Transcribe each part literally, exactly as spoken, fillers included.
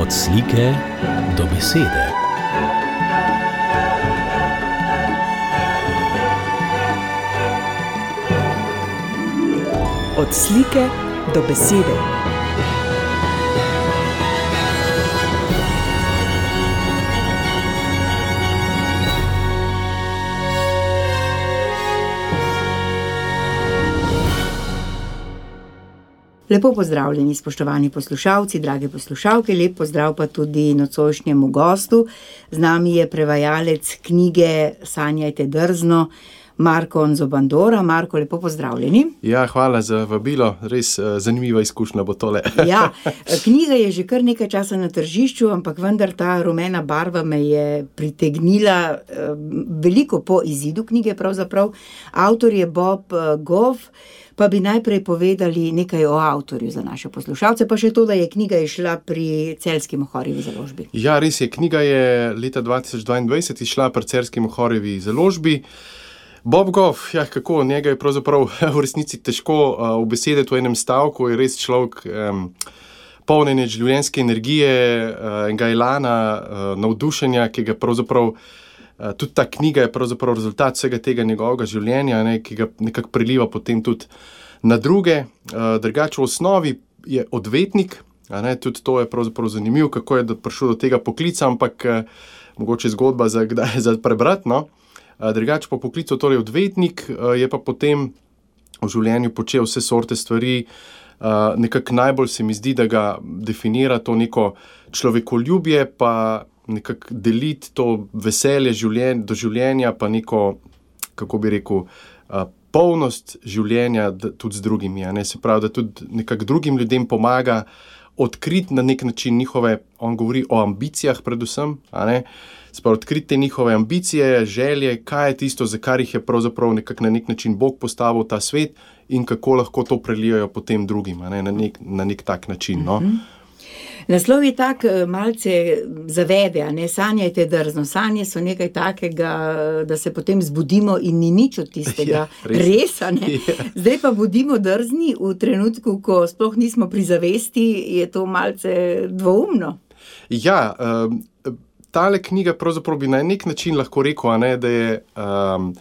Od slike do besede. Od slike do besede. Lepo pozdravljeni, spoštovani poslušalci, drage poslušalke, lep pozdrav pa tudi nocojšnjemu gostu. Z nami je prevajalec knjige Sanjajte drzno, Marko Nzobandora. Marko, lepo pozdravljeni. Ja, hvala za vabilo, res uh, zanimiva izkušnja bo tole. Ja, knjiga je že kar nekaj časa na tržišču, ampak vendar ta rumena barva me je pritegnila uh, veliko po izidu knjige pravzaprav. Avtor je Bob uh, Goff. Pa bi najprej povedali nekaj o avtorju za naše poslušalce, pa še to, da je knjiga išla pri Celjski Mohorjevi založbi. Ja, res je, knjiga je leta dva tisoč dvaindvajset išla pri Celjski Mohorjevi založbi. Bob Goff, ja, kako, njega je pravzaprav v resnici težko uh, obesediti v enem stavku, je res človek um, polnen življenjske energije, uh, enega elana, uh, navdušenja, ki ga pravzaprav Uh, tudi ta knjiga je pravzaprav rezultat vsega tega njegovega življenja, ne, ki ga nekako priliva potem tudi na druge. Uh, drugače v osnovi je odvetnik, a ne, tudi to je pravzaprav zanimivo, kako je prišel do tega poklica, ampak uh, mogoče zgodba za kdaj za prebrati, no. Uh, drugače po poklicu torej odvetnik, uh, je pa potem v življenju počel vse sorte stvari. Uh, nekako najbolj se mi zdi, da ga definira to neko človekoljubje, pa nekako deliti to veselje življenj, do življenja, pa neko, kako bi rekel, uh, polnost življenja da, tudi z drugimi. Ne? Se pravi, da tudi nekako drugim ljudem pomaga odkriti na nek način njihove, on govori o ambicijah predvsem, a ne? Se pravi, odkriti te njihove ambicije, želje, kaj je tisto, za kar jih je pravzaprav nekako na nek način Bog postavil ta svet in kako lahko to prelijajo potem drugim, a ne? Na, nek, na nek tak način, no. Mm-hmm. Naslov je tak malce zavede, a ne, sanjajte drzno. Sanje so nekaj takega, da se potem zbudimo in ni nič od tistega. Ja, res. res, a ne. Ja. Zdaj pa budimo drzni v trenutku, ko sploh nismo pri zavesti, je to malce dvoumno. Ja, um, tale knjiga pravzaprav bi na nek način lahko rekel, a ne, da je, um,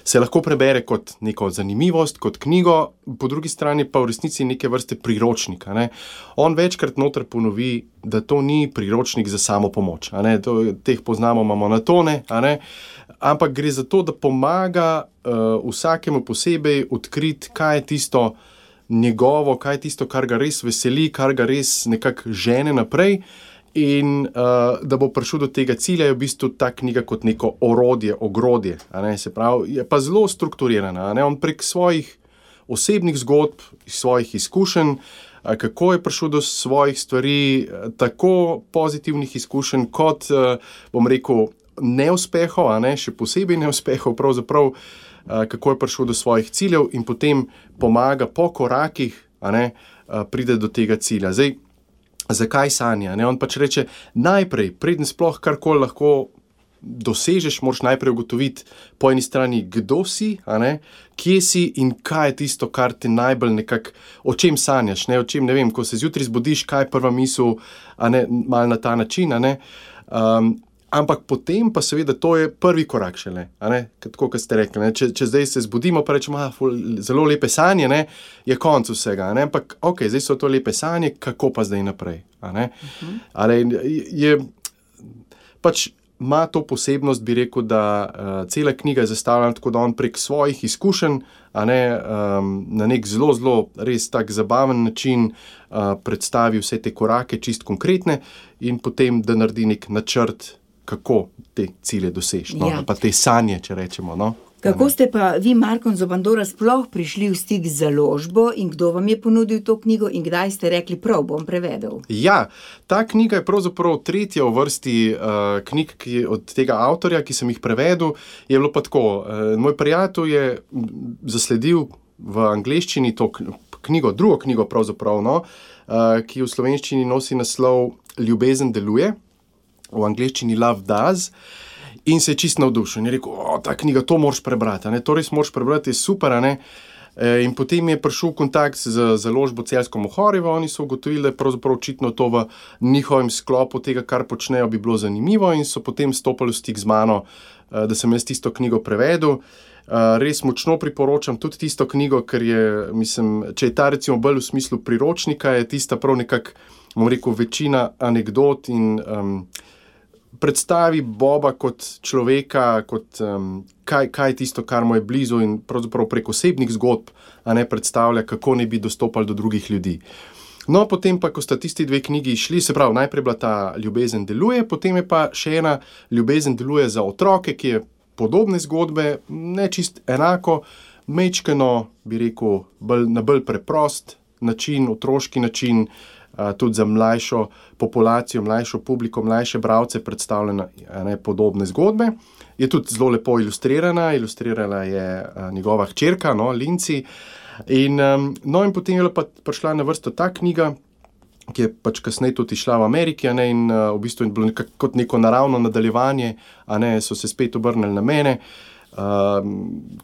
se lahko prebere kot neko zanimivost, kot knjigo, po drugi strani pa v resnici neke vrste priročnik. A ne. On večkrat noter ponovi, da to ni priročnik za samo pomoč. A ne. To, teh poznamo, imamo na tone, a ne. Ampak gre za to, da pomaga uh, vsakemu posebej odkriti, kaj je tisto njegovo, kaj je tisto, kar ga res veseli, kar ga res nekako žene naprej. In uh, da bo prišel do tega cilja, je v bistvu ta knjiga kot neko orodje, ogrodje, a ne, se pravi, je pa zelo strukturirana, a ne, on prek svojih osebnih zgodb, svojih izkušenj, a, kako je prišel do svojih stvari, tako pozitivnih izkušenj, kot, uh, bom rekel, neuspehov, a ne, še posebej neuspehov, pravzaprav, uh, kako je prišel do svojih ciljev in potem pomaga po korakih, a ne, uh, pride do tega cilja. Zdaj, zakaj sanja? Ne? On pač reče, najprej, preden sploh karkoli lahko dosežeš, moraš najprej ugotoviti po eni strani, kdo si, a ne? Kje si in kaj je tisto, kar te najbolj nekako, o čem sanjaš, ne? O čem, ne vem, ko se zjutraj zbudiš, kaj je prva misel, a ne, malo na ta način, a ne? Um, ampak potem pa seveda to je prvi korak šele, a ne, tako kot ste rekli, ne? Če, če zdaj se zbudimo, pa rečemo, ah, zelo lepe sanje, ne, je konc vsega, ne, ampak ok, zdaj so to lepe sanje, kako pa zdaj naprej, a ne, uh-huh. Ale je, pač ima to posebnost, bi rekel, da uh, cela knjiga je zastavljena tako, da on prek svojih izkušenj, a ne, um, na nek zelo, zelo res tak zabaven način uh, predstavi vse te korake, čist konkretne in potem, da naredi nek načrt, kako te cilje doseči, no? Ja. Pa te sanje, če rečemo, no? Kako ste pa vi, Marko Nzobandora, sploh prišli v stik z založbo in kdo vam je ponudil to knjigo in kdaj ste rekli, prav, bom prevedel? Ja, ta knjiga je pravzaprav tretja v vrsti uh, knjig ki, od tega avtorja, ki sem jih prevedel. Je bilo pa tako, uh, moj prijatelj je zasledil v angleščini to knjigo, drugo knjigo pravzaprav, no, uh, ki v slovenščini nosi naslov Ljubezen deluje, v angleščini Love Does, in se je čisto navdušil. In je rekel, o, ta knjiga, to moraš prebrati, ne? To res moraš prebrati, je super, a ne? In potem je prišel kontakt z založbo Celjsko Mohorjevo, oni so ugotovili, da je pravzaprav očitno to v njihovem sklopu tega, kar počnejo, bi bilo zanimivo in so potem stopili v stik z mano, da sem jaz tisto knjigo prevedel. Res močno priporočam tudi tisto knjigo, ker je, mislim, če je ta recimo bolj v smislu priročnika, je tista prav nekako, bom rekel, večina anekdot in um, predstavi Boba kot človeka, kot um, kaj, kaj je tisto, kar mu je blizu in pravzaprav prek osebnih zgodb, a ne predstavlja, kako ne bi dostopali do drugih ljudi. No, potem pa, ko sta tisti dve knjigi išli, se pravi, najprej bila ta Ljubezen deluje, potem je pa še ena Ljubezen deluje za otroke, ki je podobne zgodbe, ne čist enako, mečkeno, bi rekel, bolj, na bolj preprost način, otroški način, Uh, tudi za mlajšo populacijo, mlajšo publiko, mlajše bralce predstavljene ne, podobne zgodbe. Je tudi zelo lepo ilustrirana, ilustrirala je uh, njegova hčerka, no, Linci. In, um, no, in potem je pa prišla na vrsto ta knjiga, ki je pač kasneje tudi išla v Ameriki, a ne, in uh, v bistvu je bilo nekako kot neko naravno nadaljevanje, a ne, so se spet obrnili na mene, uh,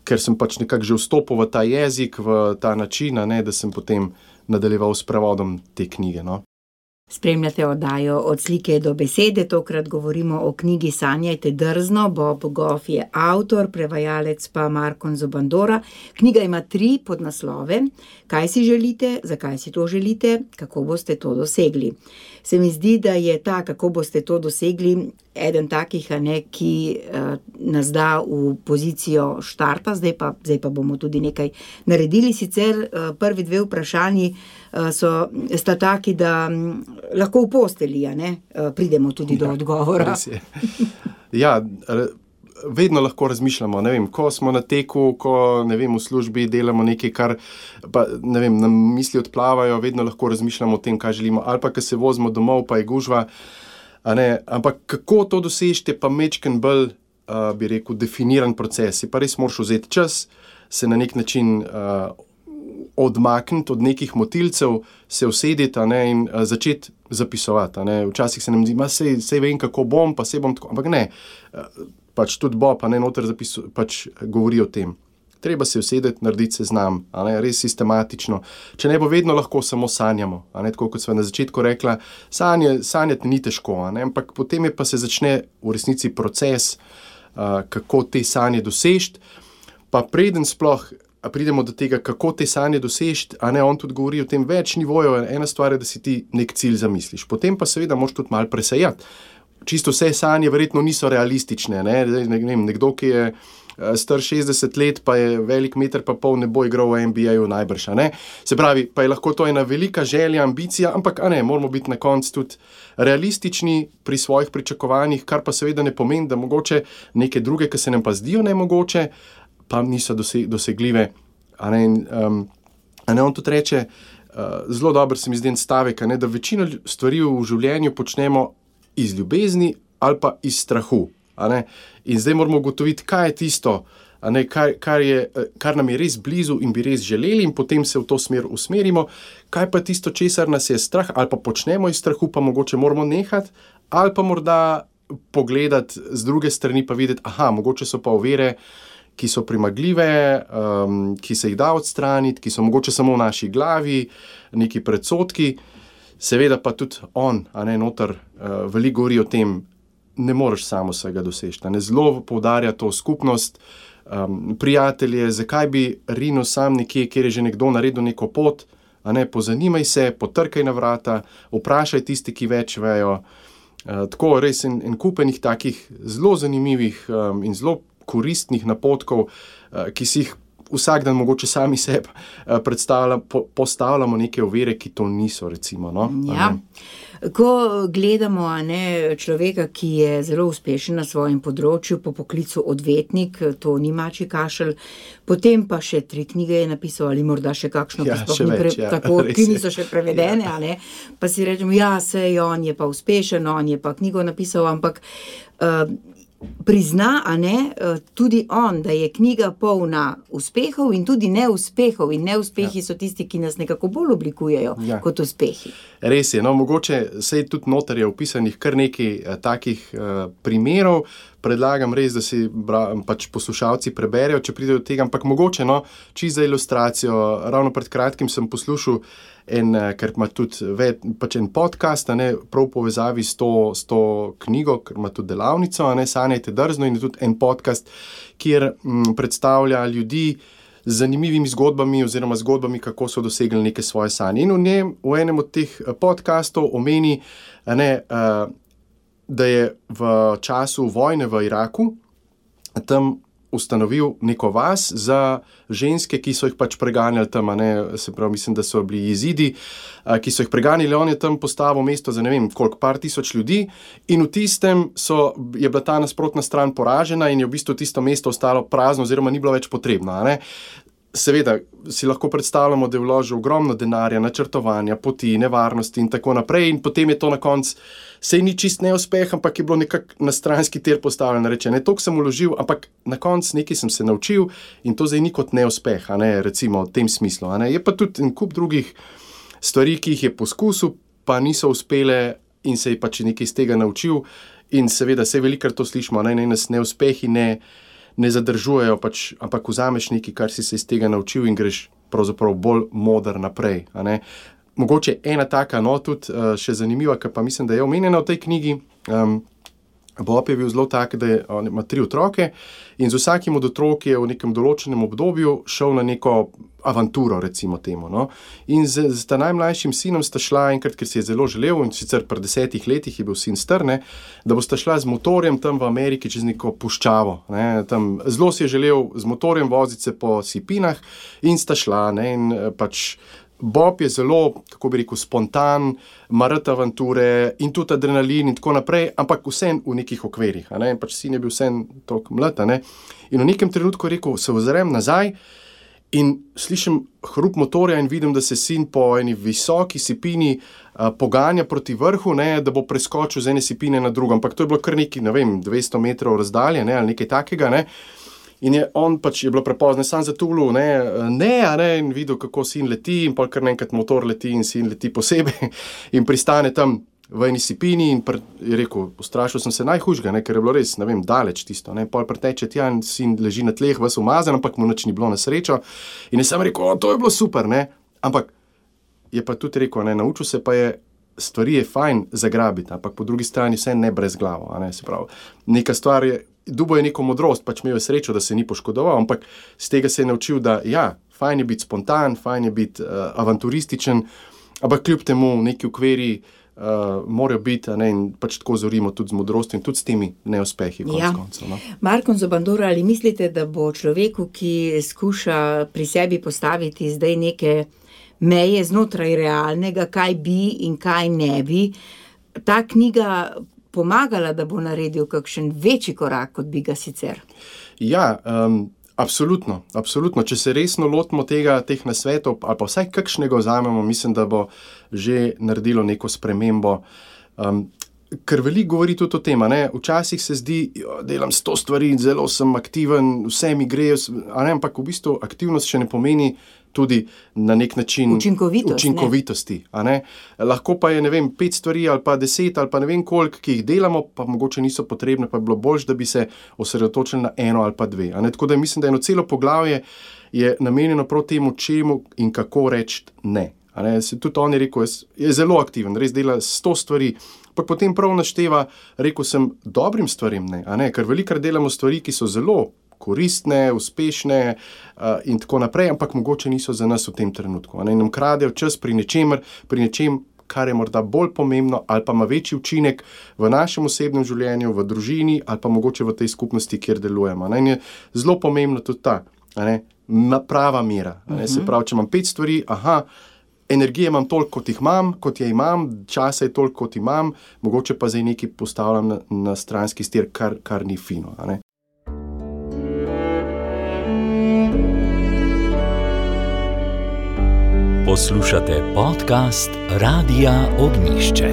ker sem pač nekako že vstopil v ta jezik, v ta način, a ne, da sem potem nadaljeval s prevodom te knjige. No. Spremljate oddajo Od slike do besede, tokrat govorimo o knjigi Sanjajte drzno, Bob Goff je avtor, prevajalec pa Markon Zobandora. Knjiga ima tri podnaslove: Kaj si želite, zakaj si to želite, kako boste to dosegli. Se mi zdi, da je ta, kako boste to dosegli, eden takih, a ne, ki uh, nas da v pozicijo štarta, zdaj pa, zdaj pa bomo tudi nekaj naredili. Sicer uh, prvi dve vprašanji uh, so, sta taki, da um, lahko v postelji, a ne, uh, pridemo tudi ja, do odgovora. Ja, vedno lahko razmišljamo, ne vem, ko smo na teku, ko, ne vem, v službi delamo nekaj, kar, pa, ne vem, nam misli odplavajo, vedno lahko razmišljamo o tem, kaj želimo, ali pa, ko se vozimo domov, pa je gužva, a ne, ampak kako to dosežete, pa mečken bolj, uh, bi rekel, definiran proces, je pa res moraš vzeti čas, se na nek način uh, odmakniti od nekih motilcev, se usediti, a ne, in uh, začeti zapisovati, a ne, včasih se nam zdi, ma sej, sej vem, kako bom, pa sej bom tako, ampak ne, uh, pač tudi Bob, a ne, noter zapisu, pač govori o tem. Treba se usedeti, narediti seznam, a ne, res sistematično. Če ne bo vedno lahko samo sanjamo, a ne, tako kot sva na začetku rekla, sanje, sanjati ni težko, a ne, ampak potem je pa se začne v resnici proces, uh, kako te sanje dosežiti, pa preden sploh pridemo do tega, kako te sanje dosežiti, a ne, on tudi govori o tem več nivojev, ena stvar je, da si ti nek cilj zamisliš, potem pa seveda moraš tudi malo presejati. Čisto vse sanje verjetno niso realistične, ne, ne vem, nekdo, ki je star šestdeset let, pa je velik meter pa pol, ne bo igral v N B A-ju najbrž, a ne. Se pravi, pa je lahko to ena velika želja, ambicija, ampak a ne, moramo biti na koncu tudi realistični pri svojih pričakovanjih, kar pa seveda ne pomeni, da mogoče neke druge, ki se nam pa zdijo nemogoče, pa niso dosegljive, a ne, um, a ne, on tudi reče, uh, zelo dober se mi zdi en stavek, a ne, da večino stvari v življenju počnemo iz ljubezni ali pa iz strahu, a ne, in zdaj moramo ugotoviti, kaj je tisto, a ne, kar, kar, je, kar nam je res blizu in bi res želeli in potem se v to smer usmerimo, kaj pa tisto, česar nas je strah ali pa počnemo iz strahu, pa mogoče moramo nehati, ali pa morda pogledati z druge strani pa videti, aha, mogoče so pa ovire, ki so primagljive, um, ki se jih da odstraniti, ki so mogoče samo v naši glavi, neki predsodki. Seveda pa tudi on, a ne, noter, uh, veliko govori o tem, ne moreš samo vsega dosežiti, a ne, zelo poudarja to skupnost, um, prijatelje, zakaj bi rinil sam nekje, kjer je že nekdo naredil neko pot, a ne, pozanimaj se, potrkaj na vrata, vprašaj tisti, ki več vejo, uh, tako res en, en kupenih takih zelo zanimivih um, in zelo koristnih napotkov, uh, ki si jih vsak dan mogoče sami sebi po, postavljamo neke ovire, ki to niso, recimo. No? Ja. Ko gledamo, a ne, človeka, ki je zelo uspešen na svojem področju, po poklicu odvetnik, to ni mačji kašelj, potem pa še tri knjige je napisal, ali morda še kakšno, ja, še več, pre, ja, tako, ki niso še prevedene, ja. A ne, pa si rečemo, ja, sej, on je pa uspešen, on je pa knjigo napisal, ampak uh, prizna, a ne, tudi on, da je knjiga polna uspehov in tudi neuspehov in neuspehi ja. So tisti, ki nas nekako bolj oblikujejo ja. Kot uspehi. Res je, no, mogoče sej tudi noter je opisanih kar nekaj uh, takih uh, primerov, predlagam res, da si bra, pač poslušalci preberejo, če pridejo do tega, ampak mogoče, no, čisto za ilustracijo, ravno pred kratkim sem poslušal en, ker ima tudi ve, pač en podcast, a ne, prav v povezavi s to, s to knjigo, ker ima tudi delavnico, a ne, Sanjajte drzno, in je tudi en podcast, kjer m, predstavlja ljudi z zanimivimi zgodbami oziroma zgodbami, kako so dosegli neke svoje sanje. In v njem, v enem od teh podcastov omeni, a ne, a, da je v času vojne v Iraku tam ustanovil neko vas za ženske, ki so jih pač preganjali tam, a ne, se pravi, mislim, da so bili jezidi, a, ki so jih preganjali, on je tam postavil mesto za ne vem koliko, par tisoč ljudi, in v tistem so, je bila ta nasprotna stran poražena in je v bistvu tisto mesto ostalo prazno oziroma ni bilo več potrebno, a ne. Seveda si lahko predstavljamo, da je vložil ogromno denarja, načrtovanja, poti, nevarnosti in tako naprej, in potem je to na koncu, sej ni čist neuspeh, ampak je bilo nekako na stranski tir postavljeno, reče, ne, toliko sem vložil, ampak na koncu nekaj sem se naučil in to zdaj ni kot neuspeh, a ne, recimo v tem smislu, a ne. Je pa tudi en kup drugih stvari, ki jih je poskusil, pa niso uspele in se je pač nekaj iz tega naučil, in seveda se velikokrat to slišimo, ne, ne, nas neuspehi ne ne zadržujejo, pač, ampak vzameš nekaj, kar si se iz tega naučil in greš pravzaprav bolj moder naprej, a ne. Mogoče ena taka, no, tudi uh, še zanimiva, ki pa mislim, da je omenjena v tej knjigi. Um, Bob je bil zelo tak, da je, on ima tri otroke in z vsakim od otrok je v nekem določenem obdobju šel na neko avanturo, recimo temu, no. In z, z ta najmlajšim sinom sta šla enkrat, ker si je zelo želel, in sicer pri desetih letih je bil sin star, ne, da bosta šla z motorjem tam v Ameriki čez neko puščavo, ne, tam zelo si je želel z motorjem voziti se po sipinah in sta šla, ne, in pač Bob je zelo, kako bi rekel, spontan, marat avanture in tudi adrenalin in tako naprej, ampak vsem v nekih okvirih, a ne, in pač sin je bil vsem toliko mlad, a ne, in v nekem trenutku je rekel, se ozrem nazaj in slišim hrup motorja in vidim, da se sin po eni visoki sipini a, poganja proti vrhu, ne, da bo preskočil z ene sipine na drugo, ampak to je bilo kar neki, ne vem, dvesto metrov razdalje, ne, ali nekaj takega, ne. In je on pač je bilo prepozno, sam zatulil, ne, ne, a ne, in videl, kako sin leti, in pol kar naenkrat motor leti in sin leti posebej in pristane tam v eni sipini in pr, je rekel, ustrašil sem se najhujšega, ne, ker je bilo res, ne vem, daleč tisto, ne, pol preteče tja in sin leži na tleh, ves umazan, ampak mu nič ni bilo na srečo. In je sam rekel, o, to je bilo super, ne, ampak je pa tudi rekel, ne, naučil se pa je, stvari je fajn zagrabiti, ampak po drugi strani vse ne brez glavo, a ne, se pravi, neka stvar je, dubo je neko modrost, pač imel je srečo, da se ni poškodoval, ampak z tega se je naučil, da ja, fajn je biti spontan, fajn je biti uh, avanturističen, ampak kljub temu neki okviri uh, morajo biti, a ne, in pač tako zorimo tudi z modrostjo in tudi s temi neuspehi konec ja. koncev. No? Markon Zobandora, ali mislite, da bo človeku, ki skuša pri sebi postaviti zdaj neke meje znotraj realnega, kaj bi in kaj ne bi, ta knjiga pomagala, da bo naredil kakšen večji korak, kot bi ga sicer? Ja, um, absolutno, absolutno. Če se resno lotimo tega, teh nasvetov, ali pa vsaj kakšnega vzamemo, mislim, da bo že naredilo neko spremembo. Um, ker veliko govori tudi o tem, a ne, včasih se zdi, jo, delam sto stvari, zelo sem aktiven, vse mi gre, a ne, ampak v bistvu aktivnost še ne pomeni tudi na nek način Učinkovitost, učinkovitosti, a ne. Lahko pa je, ne vem, pet stvari ali pa deset ali pa ne vem koliko, ki jih delamo, pa mogoče niso potrebne, pa je bilo boljše, da bi se osredotočili na eno ali pa dve, a ne. Tako da mislim, da eno celo poglavje je namenjeno prav temu, čemu in kako reči ne. A ne, se tudi on je rekel, je zelo aktiven, res dela sto stvari, pa potem prav našteva, rekel sem, dobrim stvarem ne, a ne, ker velikokrat delamo stvari, ki so zelo koristne, uspešne uh, in tako naprej, ampak mogoče niso za nas v tem trenutku. A ne, nam kradejo čas pri nečemer, pri nečem, kar je morda bolj pomembno ali pa ima večji učinek v našem osebnem življenju, v družini ali pa mogoče v tej skupnosti, kjer delujemo. A ne, in je zelo pomembno tudi ta, a ne, prava mera. A ne, uh-huh. Se pravi, če imam pet stvari, aha, energije imam toliko, kot jih imam, kot je imam, časa je toliko, kot imam, mogoče pa zdaj nekaj postavljam na, na stranski stir, kar, kar ni fino. A ne. Poslušate podcast Radia Ognjišče.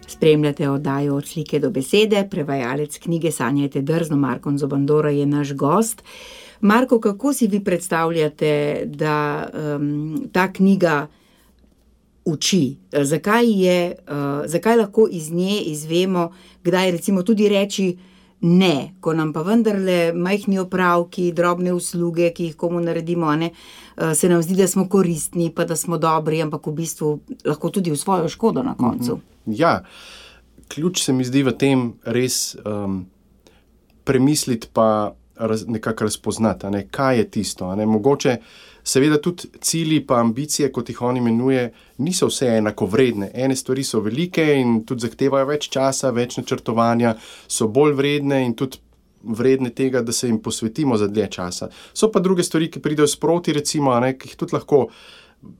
Spremljate oddajo Od slike do besede, prevajalec knjige Sanjajte drzno, Markon Zobandora je naš gost. Marko, kako si vi predstavljate, da um, ta knjiga uči, zakaj je, uh, zakaj lahko iz nje izvemo, kdaj recimo tudi reči ne, ko nam pa vendarle majhni opravki, drobne usluge, ki jih komu naredimo, a ne, uh, se nam zdi, da smo koristni, pa da smo dobri, ampak v bistvu lahko tudi v svojo škodo na koncu. Mm-hmm. Ja, ključ se mi zdi v tem res um, premisliti pa raz, nekako razpoznati, a ne, kaj je tisto, a ne, mogoče seveda tudi cilji pa ambicije, kot jih on imenuje, niso vse enako vredne. Ene stvari so velike in tudi zahtevajo več časa, več načrtovanja, so bolj vredne in tudi vredne tega, da se jim posvetimo za dlje časa. So pa druge stvari, ki pridejo sproti, recimo, a ne, ki jih tudi lahko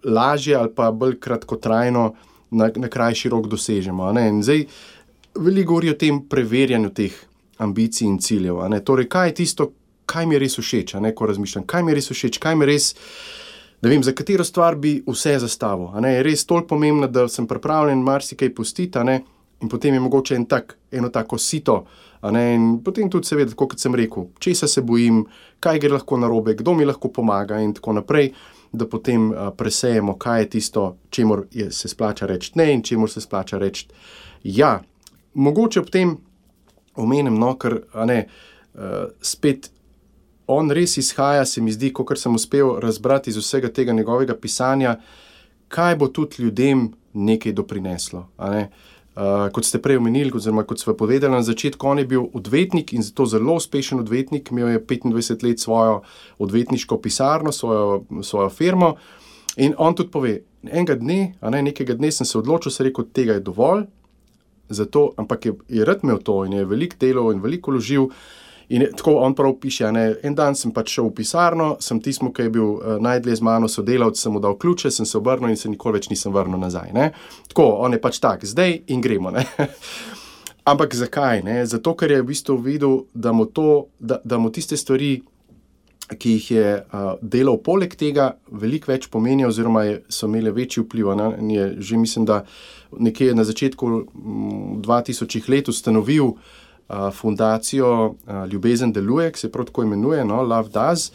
lažje ali pa bolj kratkotrajno na, na krajši rok dosežemo. A ne. In zdaj veliko govori o tem preverjanju teh ambicij in ciljev. A ne. Torej, kaj je tisto, kaj mi je res všeč, a ne, ko razmišljam, kaj mi je res všeč, kaj mi je res, ne vem, za katero stvar bi vse zastavil, a ne, je res toliko pomembno, da sem pripravljen marsikaj pustiti, a ne, in potem je mogoče en tak, eno tako sito, a ne, in potem tudi seveda, kot sem rekel, česa se bojim, kaj gre lahko narobe, kdo mi lahko pomaga in tako naprej, da potem a, presejemo, kaj je tisto, čemur je, se splača reči ne in čemur se splača reči ja. Mogoče ob tem omenim, no, ker, a ne, a, spet on res izhaja, se mi zdi, kakor sem uspel razbrati iz vsega tega njegovega pisanja, kaj bo tudi ljudem nekaj doprineslo. A ne? Uh, kot ste prej omenili, oziroma kot ste povedali na začetku, on je bil odvetnik in zato zelo uspešen odvetnik, imel je petindvajset let svojo odvetniško pisarno, svojo, svojo firmo in on tudi pove, enega dne, a ne, nekega dne sem se odločil, se rekel, tega je dovolj, zato, ampak je, je rad imel to in je veliko delal in veliko vložil. In je, tako on prav piše, ne, en dan sem pač šel v pisarno, sem tismu, ki je bil uh, najdlje z mano sodelavc, sem mu dal ključe, sem se obrnil in se nikoli več nisem vrnil nazaj. Ne. Tako, on je pač tak, zdaj in gremo. Ne. Ampak zakaj? Ne? Zato, ker je v bistvu videl, da mu, to, da, da mu tiste stvari, ki jih je uh, delal poleg tega, veliko več pomenijo oziroma je, so imele večji vpliv. Ne. Je, že mislim, da nekje na začetku m, dva tisočih let ustanovil fundacijo Ljubezen deluje, ki se prav tako imenuje, no, Love Does,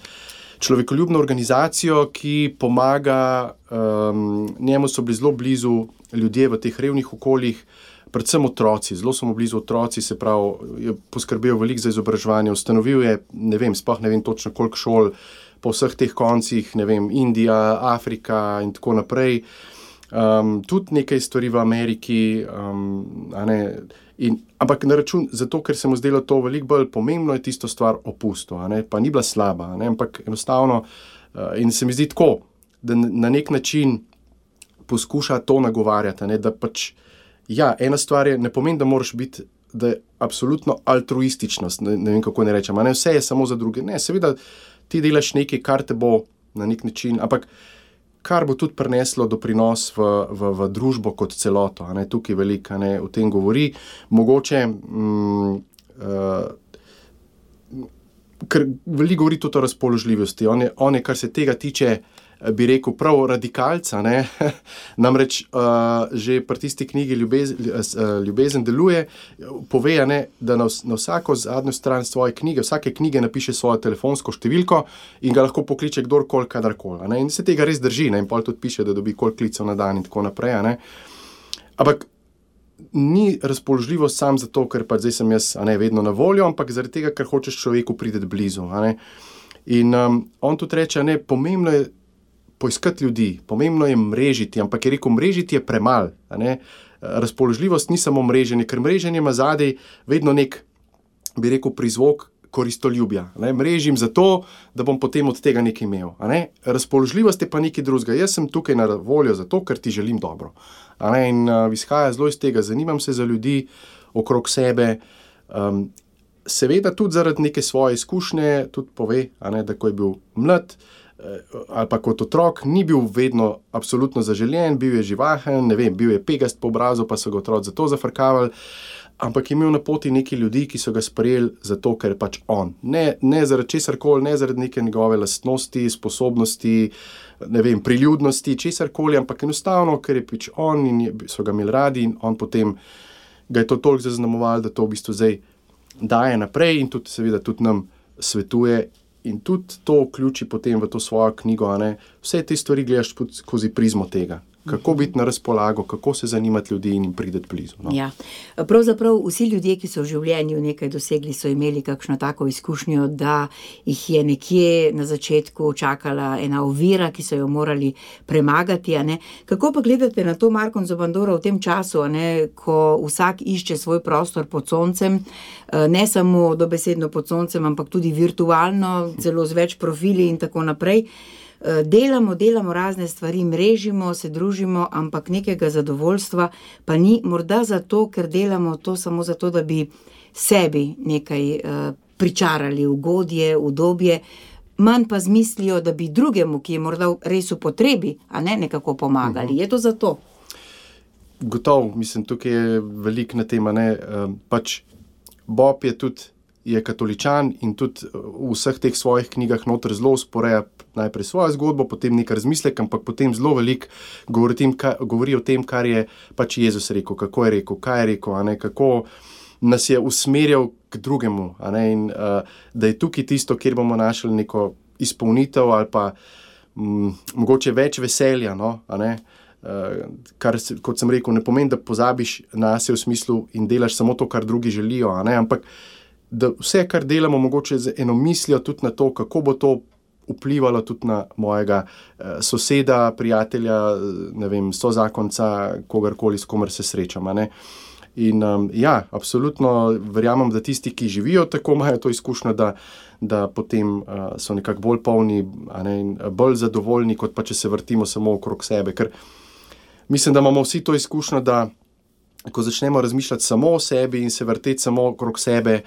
človekoljubno organizacijo, ki pomaga, um, njemu so bili zelo blizu ljudje v teh revnih okoljih, predvsem otroci, zelo so mu blizu otroci, se pravi, je poskrbel veliko za izobraževanje, ustanovil je, ne vem, sploh ne vem točno koliko šol, po vseh teh koncih, ne vem, Indija, Afrika in tako naprej, um, tudi nekaj stvari v Ameriki, um, a ne, In, ampak na račun, zato ker se mu zdelo to veliko bolj pomembno, je tisto stvar opustil, a ne, pa ni bila slaba, a ne, ampak enostavno, uh, in se mi zdi tako, da na nek način poskuša to nagovarjati, a ne, da pač, ja, ena stvar je, ne pomeni, da moraš biti, da je absolutno altruističnost, ne, ne vem, kako ne rečem, a ne, vse je samo za druge, ne, seveda ti delaš nekaj, kar te bo na nek način, ampak kar bo tudi prineslo doprinos v, v, v družbo kot celoto, a ne, tukaj veliko, a ne, o tem govori, mogoče, mm, uh, ker veliko govori tudi o razpoložljivosti, on je, on je, kar se tega tiče, bi rekel, prav radikalca, ne, namreč uh, že pri tisti knjigi Ljubez, uh, Ljubezen deluje, pove, ne, da na, na vsako zadnjo stran svoje knjige, vsake knjige napiše svojo telefonsko številko in ga lahko pokliče kdorkoli, kadarkoli, ne, in se tega res drži, ne, in pol tudi piše, da dobi koliko klicev na dan in tako naprej, ne, ampak ni razpoložljivost sam zato, ker pa zdaj sem jaz, a ne, vedno na voljo, ampak zaradi tega, ker hočeš človeku priti blizu, a ne, in um, on tudi reče, ne, pomembno je poiskati ljudi, pomembno je mrežiti, ampak je rekel, mrežiti je premal, a ne, razpoložljivost ni samo mreženje, ker mreženje ima zadaj vedno nek, bi rekel, prizvok koristoljubja, ne, mrežim zato, da bom potem od tega nekaj imel, a ne, razpoložljivost je pa nekaj drugega, jaz sem tukaj na voljo zato, ker ti želim dobro, a ne, in uh, izhaja zelo iz tega, zanimam se za ljudi okrog sebe, um, seveda tudi zaradi neke svoje izkušnje, tudi pove, a ne, da ko je bil mlad, ali pa kot otrok, ni bil vedno absolutno zaželjen, bil je živahen, ne vem, bil je pegast po obrazu, pa so ga otroci zato zafrkavali, ampak je imel na poti neki ljudi, ki so ga sprejeli zato, ker je pač on. Ne, ne zaradi česarkoli, ne zaradi neke njegove lastnosti, sposobnosti, ne vem, priljudnosti, česarkoli, ampak enostavno, ker je pač on in je, so ga imeli radi in on potem ga je to toliko zaznamoval, da to v bistvu zdaj daje naprej in tudi seveda tudi nam svetuje. In tudi to vključi potem v to svojo knjigo, a ne, vse te stvari gledaš skozi prizmo tega. kako biti na razpolago, kako se zanimati ljudi in prideti blizu. No. Ja. Pravzaprav vsi ljudje, ki so v življenju nekaj dosegli, so imeli kakšno tako izkušnjo, da jih je nekje na začetku čakala ena ovira, ki so jo morali premagati. A ne? Kako pa gledate na to, Marko Zobandoro, v tem času, a ne, ko vsak išče svoj prostor pod soncem, ne samo dobesedno pod soncem, ampak tudi virtualno, celo z več profili in tako naprej. Delamo, delamo razne stvari, mrežimo, se družimo, ampak nekega zadovoljstva pa ni, morda zato, ker delamo to samo zato, da bi sebi nekaj uh, pričarali, ugodje, udobje, manj pa z mislijo, da bi drugemu, ki je morda res v potrebi, a ne nekako pomagali. Uh-huh. Je to zato? Gotovo, mislim, tukaj je veliko na tema, ne, uh, pač Bob je tudi je katoličan in tudi v vseh teh svojih knjigah noter zelo sporeja najprej svojo zgodbo, potem nekaj razmislek, ampak potem zelo veliko govori, tem, ka, govori o tem, kar je pač Jezus rekel, kako je rekel, kaj je rekel, a ne, kako nas je usmerjal k drugemu, a ne, in uh, da je tukaj tisto, kjer bomo našli neko izpolnitev ali pa m, mogoče več veselja, no, a ne, uh, kar, kot sem rekel, ne pomeni, da pozabiš nase v smislu in delaš samo to, kar drugi želijo, a ne, ampak da vse, kar delamo, mogoče z eno mislijo tudi na to, kako bo to vplivalo tudi na mojega eh, soseda, prijatelja, ne vem, sozakonca, kogarkoli, s komer se srečam, a ne. In um, ja, absolutno verjamem, da tisti, ki živijo tako, imajo to izkušnjo, da, da potem uh, so nekako bolj polni, a ne, in bolj zadovoljni, kot pa če se vrtimo samo okrog sebe, ker mislim, da imamo vsi to izkušnjo, da ko začnemo razmišljati samo o sebi in se vrteti samo okrog sebe,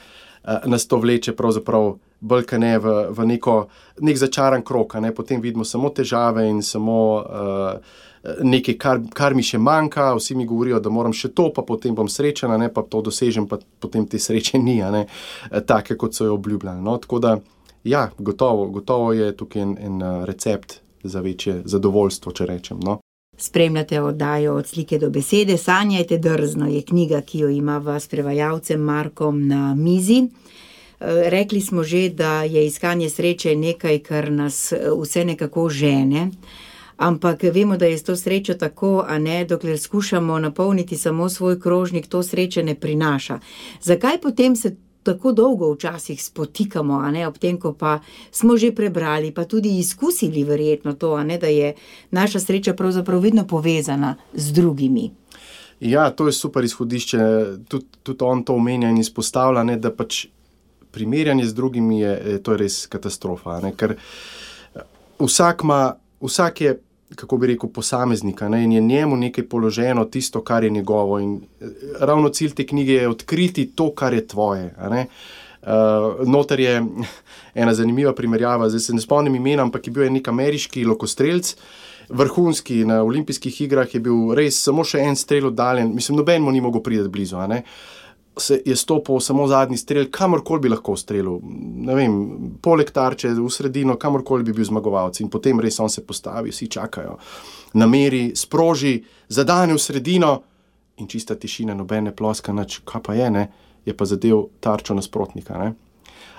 nas to vleče pravzaprav bolj ka ne v, v neko, nek začaran krog, ne, potem vidimo samo težave in samo uh, nekaj, kar, kar mi še manjka, vsi mi govorijo, da moram še to, pa potem bom srečen, ne, pa to dosežem, pa potem te sreče ni, ne, take, kot so jo obljubljali. No, tako da, ja, gotovo, gotovo je tukaj en, en recept za večje zadovoljstvo, če rečem, no. Spremljate oddajo Od slike do besede, Sanjajte drzno je knjiga, ki jo imava s prevajalcem Markom na mizi. Rekli smo že, da je iskanje sreče nekaj, kar nas vse nekako žene, ampak vemo, da je s to srečo tako, a ne, dokler skušamo napolniti samo svoj krožnik, to sreče ne prinaša. Zakaj potem se tako dolgo včasih spotikamo, a ne, ob tem, ko pa smo že prebrali, pa tudi izkusili verjetno to, a ne, da je naša sreča pravzaprav vedno povezana z drugimi. Ja, to je super izhodišče, tudi, tudi on to omenja in izpostavlja, ne, da pač primerjanje z drugimi je, to je res katastrofa, ne, ker vsak ima, vsak je, kako bi rekel, posameznika, ne, in je njemu nekaj položeno, tisto, kar je njegovo, in ravno cilj te knjige je odkriti to, kar je tvoje, a ne. Uh, noter je ena zanimiva primerjava, zdaj se ne spomnim imena, ampak je bil nek ameriški lokostrelc, vrhunski, na olimpijskih igrah je bil res samo še en strel oddaljen, mislim, noben mu ni mogel priti blizu, a ne. Se je stopil samo zadnji strel, kamorkoli bi lahko strelil, ne vem, poleg tarče, v sredino, kamorkoli bi bil zmagovalec, in potem res on se postavi, vsi čakajo, nameri, sproži, zadane v sredino in čista tišina, nobene ploska, nič, kaj pa je, ne, je pa zadev tarčo nasprotnika, ne.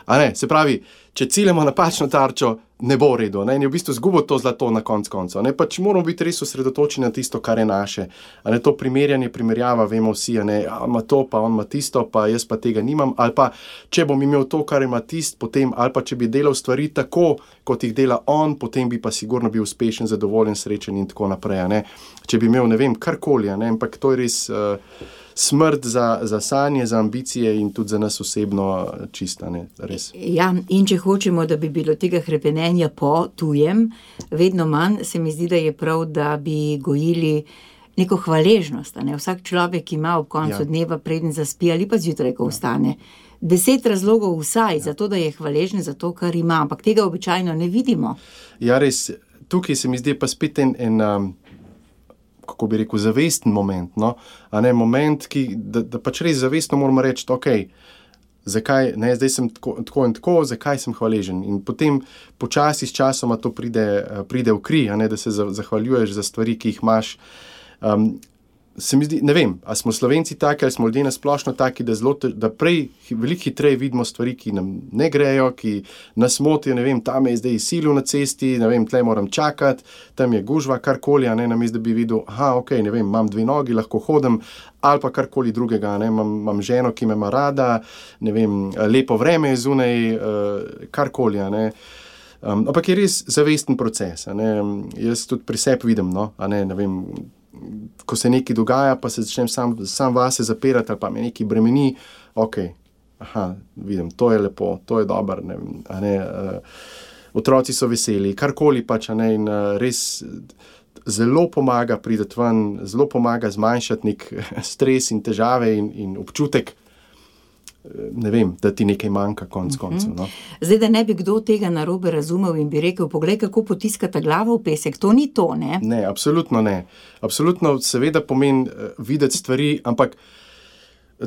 A ne, se pravi, če ciljamo napačno tarčo, ne bo v redu, ne, in je v bistvu zgubo to zlato na konc koncev, ne, pač moramo biti res osredotočeni na tisto, kar je naše, a ne, to primerjanje, primerjava, vemo vsi, a ne, on ima to, pa on ima tisto, pa jaz pa tega nimam, ali pa, če bom imel to, kar ima tist, potem, ali pa če bi delal stvari tako, kot jih dela on, potem bi pa sigurno bil uspešen, zadovoljen, srečen in tako naprej, a ne, če bi imel, ne vem, karkoli, a ne, ampak to je res uh, smrt za, za sanje, za ambicije in tudi za nas osebno čista, ne, res. Ja, in če hočemo, da bi bilo tega hrepenenja po tujem, vedno manj, se mi zdi, da je prav, da bi gojili neko hvaležnost, a ne, vsak človek ima ob koncu ja. dneva, preden zaspi ali pa zjutraj, ko vstane, deset razlogov vsaj, ja. za to, da je hvaležen za to, kar ima, ampak tega običajno ne vidimo. Ja, res, tukaj se mi zdi pa spet en, en um, kako bi rekel, zavesten moment, no, a ne, moment, ki, da, da pač res zavestno moramo reči, ok, zakaj, ne, zdaj sem tako, tako in tako, zakaj sem hvaležen, in potem počasi s časoma to pride, pride v kri, a ne, da se zahvaljuješ za stvari, ki jih imaš. Um, se mi zdi, ne vem, ali smo Slovenci taki, ali smo ljudje nasplošno taki, da, zelo, da prej veliko hitreje vidimo stvari, ki nam ne grejo, ki nas motijo, ne vem, tam je zdaj silil na cesti, ne vem, tle moram čakati, tam je gužva, karkoli, a ne, namesto da bi videl, aha, ok, ne vem, imam dve nogi, lahko hodim, ali pa karkoli drugega, ne, imam, imam ženo, ki me ima rada, ne vem, lepo vreme je zunaj, uh, karkoli, a ne. Um, ampak je res zavesten proces, a ne, jaz tudi pri sebi vidim, no, a ne, ne vem, ko se nekaj dogaja, pa se začnem sam, sam vase zapirati, ali pa me nekaj bremeni, ok, aha, vidim, to je lepo, to je dobro, ne, a ne, uh, otroci so veseli, karkoli pač, a ne, in uh, res zelo pomaga prideti ven, zelo pomaga zmanjšati nek stres in težave in, in občutek, ne vem, da ti nekaj manjka konc koncev. No. Zdaj, da ne bi kdo tega narobe razumel in bi rekel, poglej, kako potiskata glavo v pesek, to ni to, ne? Ne, absolutno ne. Absolutno seveda pomeni uh, videti stvari, ampak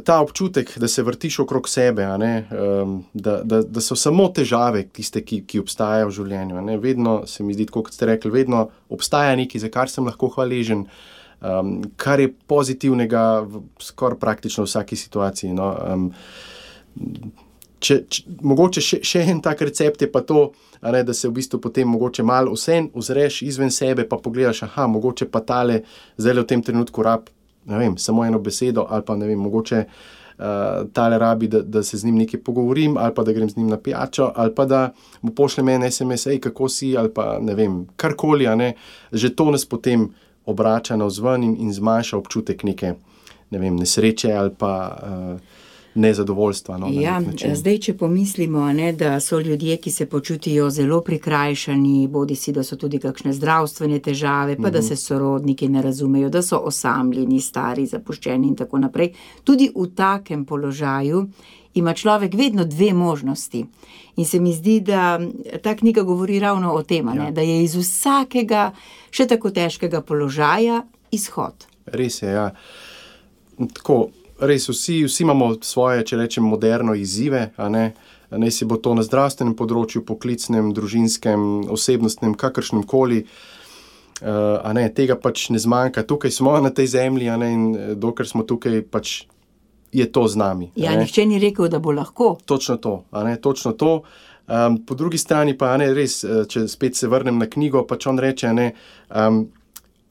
ta občutek, da se vrtiš okrog sebe, a ne, um, da, da, da so samo težave tiste, ki, ki obstajajo v življenju. A ne. Vedno se mi zdi, tako kot ste rekli, vedno obstaja nekaj, za kar sem lahko hvaležen, um, kar je pozitivnega v skoraj praktično vsaki situaciji. No. Um, če, če, mogoče še, še en tak recept je pa to, a ne, da se v bistvu potem mogoče malo vsem ozreš izven sebe, pa pogledaš, aha, mogoče pa tale zdaj v tem trenutku rab, ne vem, samo eno besedo, ali pa ne vem, mogoče uh, tale rabi, da, da se z njim nekaj pogovorim, ali pa da grem z njim na pijačo, ali pa da mu pošljem en es em es, ej, kako si, ali pa ne vem, karkoli, a ne, že to nas potem obrača navzven in, in zmanjša občutek neke, ne vem, nesreče ali pa uh, nezadovoljstva. No, ja, zdaj, če pomislimo, ne, da so ljudje, ki se počutijo zelo prikrajšani, bodi si, da so tudi kakšne zdravstvene težave, pa mm-hmm. da se sorodniki ne razumejo, da so osamljeni, stari, zapuščeni in tako naprej. Tudi v takem položaju ima človek vedno dve možnosti. In se mi zdi, da ta knjiga govori ravno o tem, ja. ne, da je iz vsakega še tako težkega položaja izhod. Res je, ja. Tako, res, vsi, vsi imamo svoje, če rečem, moderno izzive, a ne, ne si bo to na zdravstvenem področju, poklicnem, družinskem, osebnostnem, kakršnem koli, uh, a ne, tega pač ne zmanjka. Tukaj smo na tej zemlji, a ne, in dokler smo tukaj, pač je to z nami. Ja, nihče ni rekel, da bo lahko. Točno to, a ne, točno to. Um, po drugi strani pa, a ne, res, če spet se vrnem na knjigo, pač on reče, a ne, um,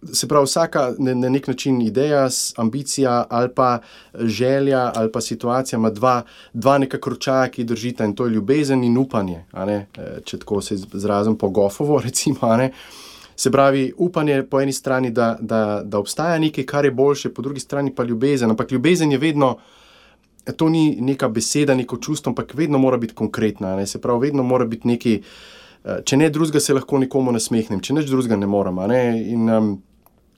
se pravi, vsaka na nek način ideja, ambicija ali pa želja ali pa situacija ima dva, dva nekako ročaja, ki držita, in to je ljubezen in upanje, a ne, če tako se izrazim po Goffovo, recimo, a ne. Se pravi, upanje po eni strani, da, da, da obstaja nekaj, kar je boljše, po drugi strani pa ljubezen, ampak ljubezen je vedno, to ni neka beseda, neko čustvo, ampak vedno mora biti konkretna, a ne, se pravi, vedno mora biti nekaj, če ne drugega se lahko nekomu nasmehnem, če nič drugega ne moram, a ne, in um,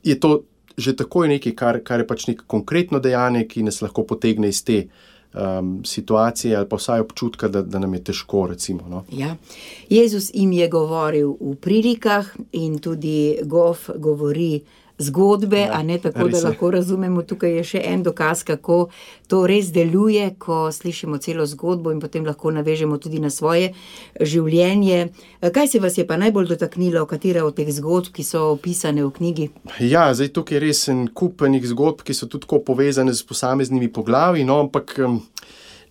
je to že takoj nekaj, kar, kar je pač neko konkretno dejanje, ki nas lahko potegne iz te um, situacije ali pa vsaj občutka, da, da nam je težko, recimo. No. Ja. Jezus jim je govoril v prilikah in tudi Goff govori zgodbe, ja, a ne tako, da lahko razumemo. Tukaj je še en dokaz, kako to res deluje, ko slišimo celo zgodbo in potem lahko navežemo tudi na svoje življenje. Kaj se vas je pa najbolj dotaknilo, katera od teh zgodb, ki so opisane v knjigi? Ja, zdaj tukaj je res en kup enih zgodb, ki so tudi tako povezane z posameznimi poglavji, no, ampak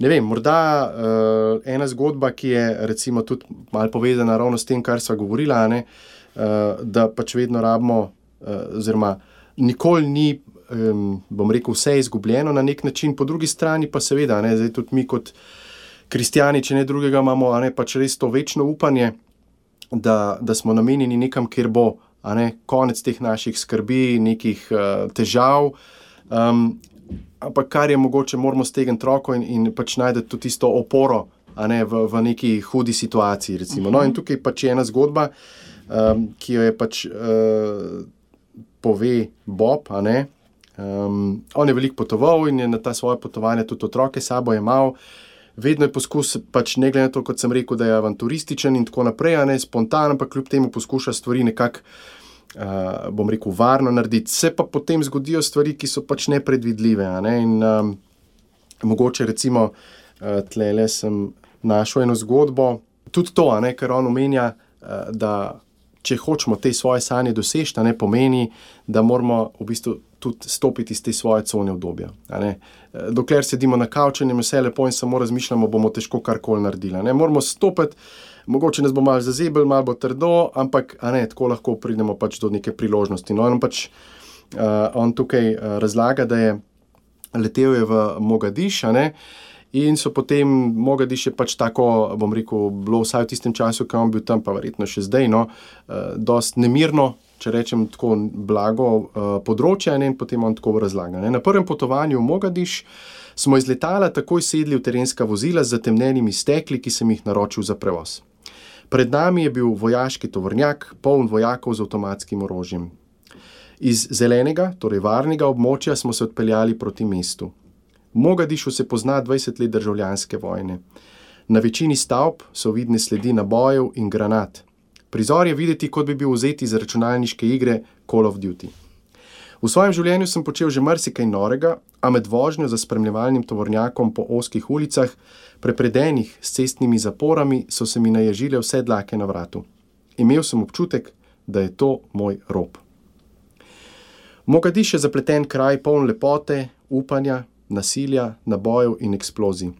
ne vem, morda uh, ena zgodba, ki je recimo tudi malo povezana ravno s tem, kar sva govorila, ne, uh, da pač vedno rabimo Uh, oziroma nikoli ni, um, bom rekel, vse izgubljeno na nek način, po drugi strani pa seveda, ne, zdaj tudi mi kot kristjani, če ne drugega, imamo, a ne, pač res to večno upanje, da, da smo namenjeni nekam, kjer bo, a ne, konec teh naših skrbi, nekih uh, težav, um, ampak kar je mogoče, moramo stegniti roko in, in pač najdeti tudi tisto oporo, a ne, v, v neki hudi situaciji, recimo. Uh-huh. No, in tukaj pač je ena zgodba, um, ki jo je pač uh, pove Bob, a ne. Um, on je veliko potoval in je na ta svoje potovanje tudi otroke sabo jemal. Vedno je poskus, pač ne glede na to, kot sem rekel, da je avanturističen in tako naprej, a ne, spontan, ampak kljub temu poskuša stvari nekako, uh, bom rekel, varno narediti. Se pa potem zgodijo stvari, ki so pač nepredvidljive, a ne, in um, mogoče recimo uh, tlele sem našel eno zgodbo, tudi to, a ne, ker on omenja, uh, da če hočemo te svoje sanje doseči, ne pomeni, da moramo v bistvu tudi stopiti iz te svoje cone obdobja. Dokler sedimo na kavču in vse lepo in samo razmišljamo, bomo težko karkoli naredili. Ne? Moramo stopiti, mogoče nas bo malo zazebel, malo bo trdo, ampak a ne, tako lahko pridemo pač do neke priložnosti. No, on pač uh, on tukaj uh, razlaga, da je letel je v Mogadiš, a ne, in so potem, Mogadiš je pač tako, bom rekel, bilo vsaj v tistem času, ko on bil tam, pa verjetno še zdaj, no, uh, dost nemirno, če rečem tako blago uh, področje, ne, in potem on tako razlaga. Ne. Na prvem potovanju v Mogadiš smo iz letala takoj sedli v terenska vozila z zatemnenimi stekli, ki sem jih naročil za prevoz. Pred nami je bil vojaški tovornjak, poln vojakov z avtomatskim orožjem. Iz zelenega, torej varnega območja smo se odpeljali proti mestu. V Mogadišu se pozna dvajset let državljanske vojne. Na večini stavb so vidne sledi nabojev in granat. Prizor je videti, kot bi bil vzet iz računalniške igre Call of Duty. V svojem življenju sem počel že marsikaj norega, a med vožnjo za spremljevalnim tovornjakom po ozkih ulicah, prepredenih s cestnimi zaporami, so se mi naježile vse dlake na vratu. Imel sem občutek, da je to moj rob. Mogadiš je zapleten kraj, poln lepote, upanja, nasilja, nabojev in eksplozij.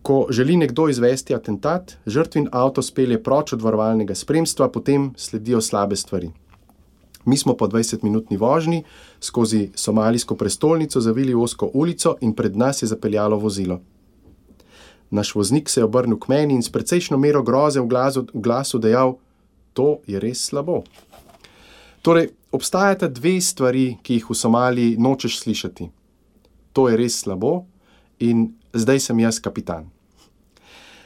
Ko želi nekdo izvesti atentat, žrtvin avto spelje proč od varovalnega spremstva, potem sledijo slabe stvari. Mi smo po dvajsetminutni vožnji skozi somalijsko prestolnico zavili v ozko ulico in pred nas je zapeljalo vozilo. Naš voznik se je obrnil k meni in s precejšno mero groze v glasu, v glasu dejal: to je res slabo. Torej, obstajata dve stvari, ki jih v Somaliji nočeš slišati. To je res slabo in zdaj sem jaz kapitan.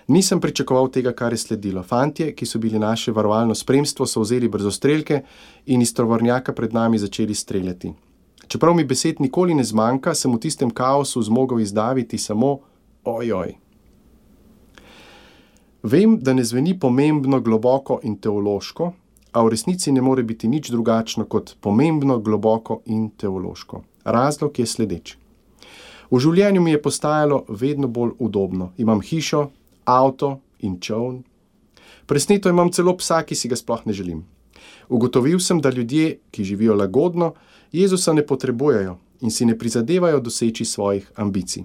Nisem pričakoval tega, kar je sledilo. Fantje, ki so bili naše varovalno spremstvo, so vzeli brzostrelke in iz tovornjaka pred nami začeli streljati. Čeprav mi besed nikoli ne zmanjka, sem v tistem kaosu zmogel izdaviti samo ojoj. Vem, da ne zveni pomembno, globoko in teološko, a v resnici ne more biti nič drugačno kot pomembno, globoko in teološko. Razlog je sledeč. V življenju mi je postajalo vedno bolj udobno. Imam hišo, avto in čoln. Presneto imam celo psa, ki si ga sploh ne želim. Ugotovil sem, da ljudje, ki živijo lagodno, Jezusa ne potrebujejo in si ne prizadevajo doseči svojih ambicij.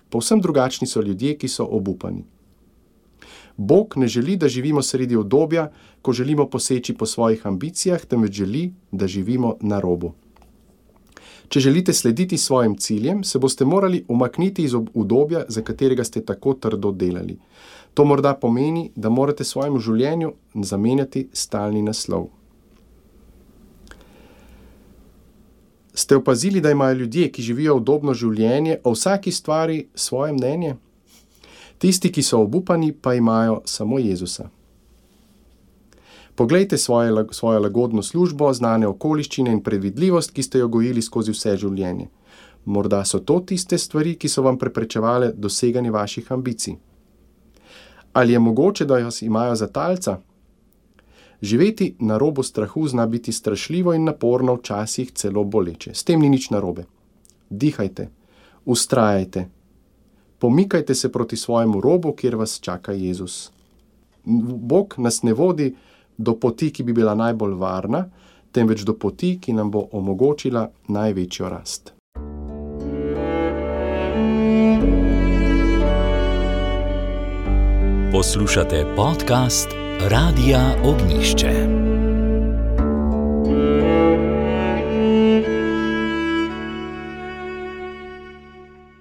Povsem drugačni so ljudje, ki so obupani. Bog ne želi, da živimo sredi obdobja, ko želimo poseči po svojih ambicijah, temveč želi, da živimo na robu. Če želite slediti svojim ciljem, se boste morali umakniti iz obdobja, za katerega ste tako trdo delali. To morda pomeni, da morate svojemu življenju zamenjati stalni naslov. Ste opazili, da imajo ljudje, ki živijo udobno življenje, o vsaki stvari svoje mnenje? Tisti, ki so obupani, pa imajo samo Jezusa. Poglejte svoje, svojo lagodno službo, znane okoliščine in predvidljivost, ki ste jo gojili skozi vse življenje. Morda so to tiste stvari, ki so vam preprečevale doseganje vaših ambicij. Ali je mogoče, da vas imajo za talca? Živeti na robu strahu zna biti strašljivo in naporno, včasih celo boleče. S tem ni nič narobe. Dihajte, vztrajajte, pomikajte se proti svojemu robu, kjer vas čaka Jezus. Bog nas ne vodi do poti, ki bi bila najbolj varna, temveč do poti, ki nam bo omogočila največjo rast. Poslušate podcast Radia Ognišče.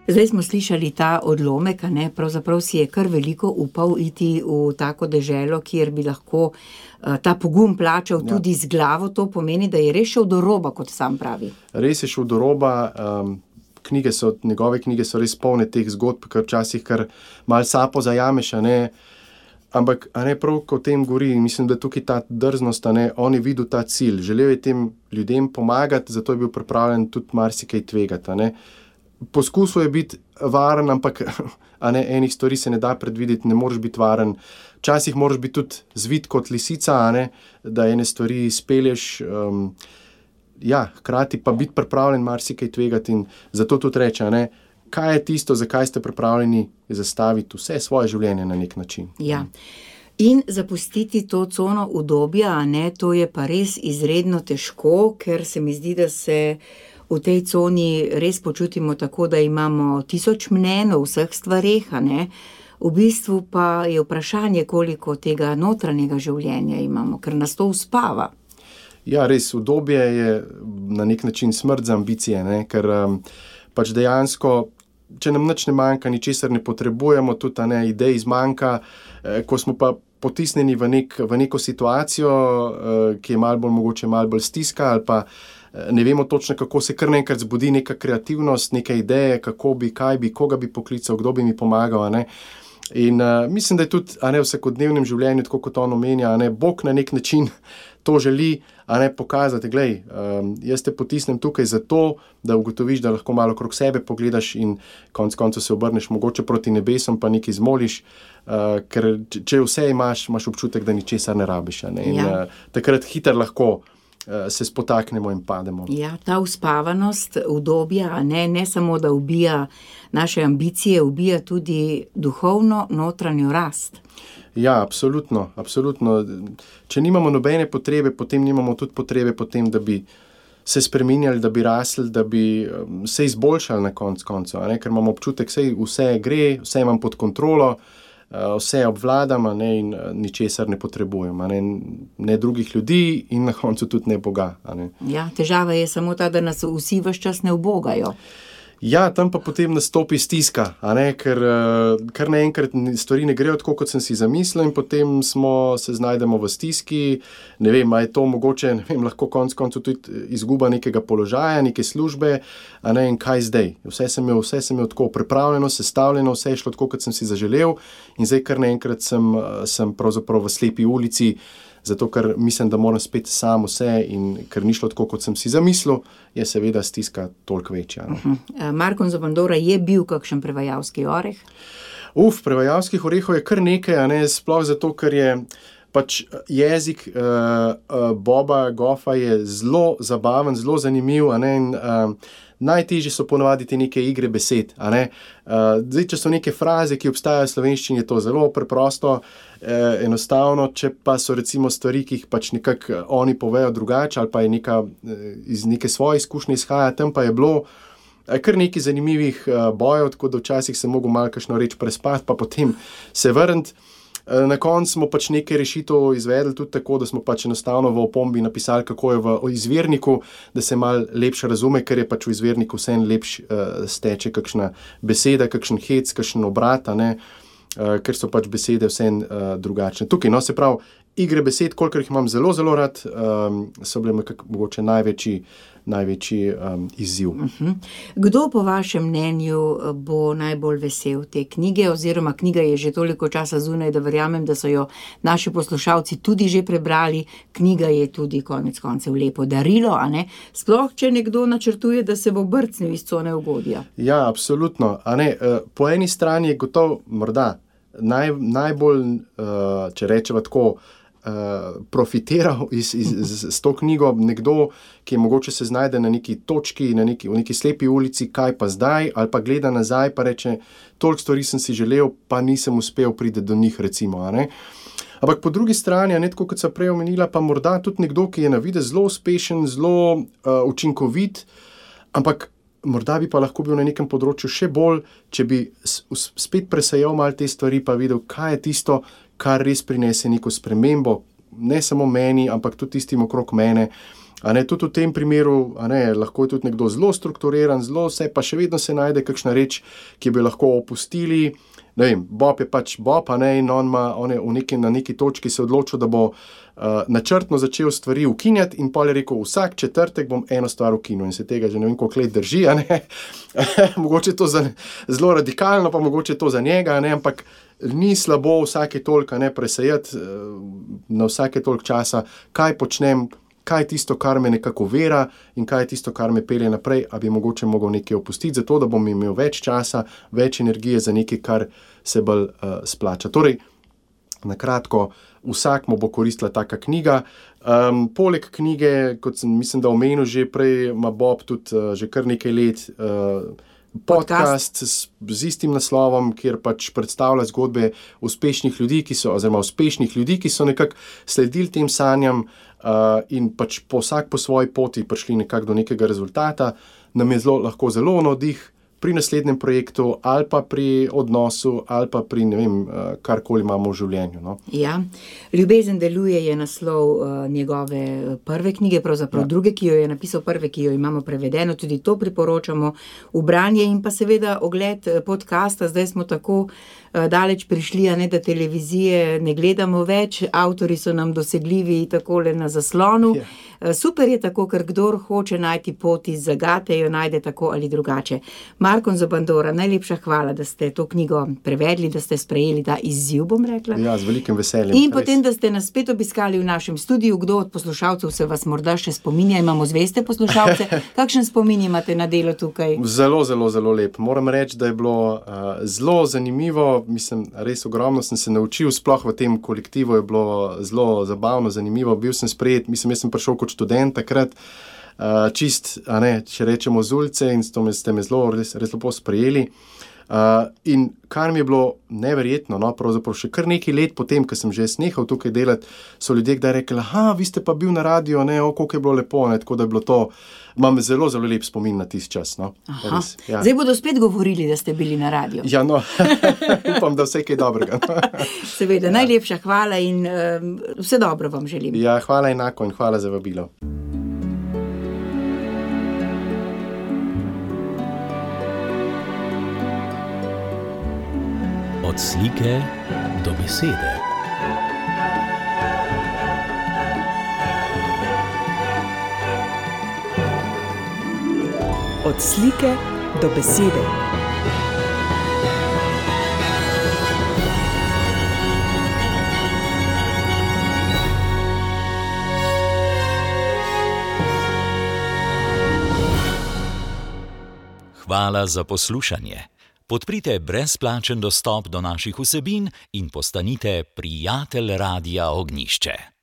Zdaj smo slišali ta odlomek, a ne, pravzaprav si je kar veliko upal iti v tako deželo, kjer bi lahko uh, ta pogum plačal ja. tudi z glavo. To pomeni, da je res šel do roba, kot sam pravi. Res je šel do roba. Um, knjige so, njegove knjige so res polne teh zgodb, kar včasih kar malo sapo zajameš, a ne. Ampak, a ne, prav, ko o tem govori, mislim, da tukaj ta drznost, a ne, on je videl ta cilj. Želel je tem ljudem pomagati, zato je bil pripravljen tudi marsikaj tvegati, a ne. Poskusil je biti varen, ampak a ne, enih stvari se ne da predvideti, ne moreš biti varen. Včasih moraš biti tudi zvit kot lisica, a ne, da ene stvari spelješ, um, ja, hkrati pa biti pripravljen marsikaj tvegati in zato tudi reče, a ne, kaj je tisto, zakaj ste pripravljeni zastaviti vse svoje življenje na nek način. Ja. In zapustiti to cono udobja, a ne, to je pa res izredno težko, ker se mi zdi, da se v tej coni res počutimo tako, da imamo tisoč mnenj o vseh stvareh, a ne. V bistvu pa je vprašanje, koliko tega notranjega življenja imamo, ker nas to uspava. Ja, res, udobje je na nek način smrt za ambicije, ne, ker um, pač dejansko, če nam nič ne manjka, ničesar ne potrebujemo, tudi a ne, idej zmanjka, eh, ko smo pa potisnjeni v, nek, v neko situacijo, eh, ki je malo bolj mogoče malo bolj stiska, ali pa eh, ne vemo točno, kako se kar naenkrat zbudi neka kreativnost, neke ideje, kako bi, kaj bi, koga bi poklical, kdo bi mi pomagal, a ne. In uh, mislim, da je tudi a ne, v vsakodnevnem življenju, tako kot on omenja, a ne, Bog na nek način to želi, a ne, pokazati, glej, um, jaz te potisnem tukaj zato, da ugotoviš, da lahko malo okrog sebe pogledaš in konec koncev se obrneš mogoče proti nebesom, pa nekaj zmoliš, uh, ker če vse imaš, imaš občutek, da ničesar ne rabiš, a ne, in Ja. uh, takrat hitro lahko uh, se spotaknemo in pademo. Ja, ta uspavanost, udobja, a ne, ne samo, da ubija naše ambicije, ubija tudi duhovno notranjo rast. Ja, absolutno, absolutno. Če nimamo nobene potrebe, potem nimamo tudi potrebe potem, da bi se spreminjali, da bi rasli, da bi um, se izboljšali na konc koncev, a ne, ker imamo občutek, sej vse gre, vse imam pod kontrolo, uh, vse obvladam, a ne, in uh, ničesar ne potrebujem, a ne, ne drugih ljudi in na koncu tudi ne Boga, a ne. Ja, težava je samo ta, da nas vsi ves čas ne ubogajo. Ja, tam pa potem nastopi stiska, a ne, ker uh, kar naenkrat stvari ne grejo tako, kot sem si zamislil in potem smo, se znajdemo v stiski, ne vem, a je to mogoče, ne vem, lahko konec koncev tudi izguba nekega položaja, neke službe, a ne, in kaj zdaj? Vse sem imel, vse sem imel tako pripravljeno, sestavljeno, vse je šlo tako, kot sem si zaželel in zdaj kar naenkrat sem, sem pravzaprav v slepi ulici, zato ker mislim, da moram spet sam vse in ker ni šlo tako, kot sem si zamislil, je seveda stiska toliko večja. No. Uh-huh. Marko Zobandora je bil kakšen prevajalski oreh? Uf, prevajalskih orehov je kar nekaj, a ne, sploh zato, ker je pač jezik uh, uh, Boba Goffa je zelo zabaven, zelo zanimiv, a ne, in uh, najtežje so ponavadi te neke igre besed, a ne. Uh, zdaj, če so neke fraze, ki obstajajo v slovenščini, je to zelo preprosto, eh, enostavno, če pa so recimo stvari, ki jih pač nekako oni povejo drugače, ali pa je neka, eh, iz neke svoje izkušnje izhaja, tam pa je bilo eh, kar nekaj zanimivih eh, bojev, tako da včasih sem mogel malo kakšno reč prespati, pa potem se vrniti. Na koncu smo pač nekaj rešitev izvedli tudi tako, da smo pač enostavno v opombi napisali, kako je v izvirniku, da se malo lepše razume, ker je pač v izvirniku vseeno lepš uh, steče kakšna beseda, kakšen hec, kakšen obrat, a ne, uh, ker so pač besede vseeno uh, drugačne. Tukaj, no, se pravi, igre besed, kolikor jih imam zelo, zelo rad, um, so bile mogoče največji, največji um, izziv. Uh-huh. Kdo po vašem mnenju bo najbolj vesel te knjige, oziroma knjiga je že toliko časa zunaj, da verjamem, da so jo naši poslušalci tudi že prebrali, knjiga je tudi konec koncev lepo darilo, a ne? Sploh, če nekdo načrtuje, da se bo brcnil iz cone ugodja. Ja, absolutno, a ne, po eni strani je gotovo morda naj, najbolj, če rečeva tako, Uh, profitiral iz, iz, z, z to knjigo nekdo, ki je mogoče se znajde na neki točki, na neki, v neki slepi ulici, kaj pa zdaj, ali pa gleda nazaj, pa reče, toliko stvari sem si želel, pa nisem uspel priti do njih, recimo, a ne. Ampak po drugi strani, a ne, tako kot sem prej omenila, pa morda tudi nekdo, ki je na videz zelo uspešen, zelo uh, učinkovit, ampak morda bi pa lahko bil na nekem področju še bolj, če bi spet presejal malo te stvari, pa videl, kaj je tisto, kar res prinese neko spremembo, ne samo meni, ampak tudi tistim okrog mene. A ne, tudi v tem primeru, a ne, lahko je tudi nekdo zelo strukturiran, zelo vse, pa še vedno se najde kakšna reč, ki bi lahko opustili. Ne vem, Bob je pač Bob, a ne, in on ima, on je v neki, na neki točki se odločil, da bo uh, načrtno začel stvari ukinjati in pol je rekel, vsak četrtek bom eno stvar ukinil in se tega že ne vem, koliko let drži, a ne. Mogoče to za, zelo radikalno, pa mogoče to za njega, a ne, ampak ni slabo vsake toliko, ne, presejati na vsake toliko časa, kaj počnem, kaj je tisto, kar me nekako vera in kaj je tisto, kar me pelje naprej, a bi mogoče mogel nekaj opustiti, zato da bom imel več časa, več energije za nekaj, kar se bolj uh, splača. Torej, na kratko, vsak mu bo koristila taka knjiga. Um, poleg knjige, kot sem mislim, da omenil že prej, ima Bob tudi uh, že kar nekaj let uh, podcast s, z istim naslovom, kjer pač predstavlja zgodbe uspešnih ljudi, ki so, oziroma uspešnih ljudi, ki so nekako sledili tem sanjam uh, in pač po vsak po svoji poti prišli nekako do nekega rezultata, nam je zelo, lahko zelo navdih pri naslednjem projektu ali pa pri odnosu ali pa pri ne vem, karkoli imamo v življenju. No. Ja, Ljubezen deluje je naslov uh, njegove prve knjige, pravzaprav ja. druge, ki jo je napisal, prve, ki jo imamo prevedeno, tudi to priporočamo v branje in pa seveda ogled podcasta. Zdaj smo tako uh, daleč prišli, a ne da televizije ne gledamo več, avtori so nam dosegljivi takole na zaslonu. Ja. Uh, super je tako, ker kdor hoče najti pot iz zagate, jo najde tako ali drugače. Markon Zabandora, najlepša hvala, da ste to knjigo prevedli, da ste sprejeli ta izziv, bom rekla. Ja, z velikim veseljem. In res. Potem, da ste nas spet obiskali v našem studiu. Kdo od poslušalcev se vas morda še spominja? Imamo zveste poslušalce. Kakšen spomin imate na delo tukaj? Zelo, zelo, zelo lep. Moram reči, da je bilo uh, zelo zanimivo. Mislim, res ogromno sem se naučil. Sploh v tem kolektivu je bilo zelo zabavno, zanimivo. Bil sem sprejet, mislim, jaz sem prišel kot študent takrat. Uh, čist, a ne, če rečemo z ulice in ste me, ste me zelo, res, res lepo sprejeli. Uh, in kar mi je bilo neverjetno, no, pravzaprav še kar nekaj let potem, ko sem že snehal tukaj delati, so ljudje kdaj rekli, aha, vi ste pa bil na radio, ne, o, koliko je bilo lepo, ne, tako da je bilo to, imam zelo, zelo lep spomin na tisti čas, no. Res, ja. Zdaj bodo spet govorili, da ste bili na radio. Ja, no, upam, da vse kaj dobrega. Seveda, ja. Najlepša hvala in uh, vse dobro vam želim. Ja, hvala enako in hvala za vabilo. Od slike do besede. Od slike do besede. Hvala za poslušanje. Podprite brezplačen dostop do naših vsebin in postanite prijatelj Radia Ognjišče.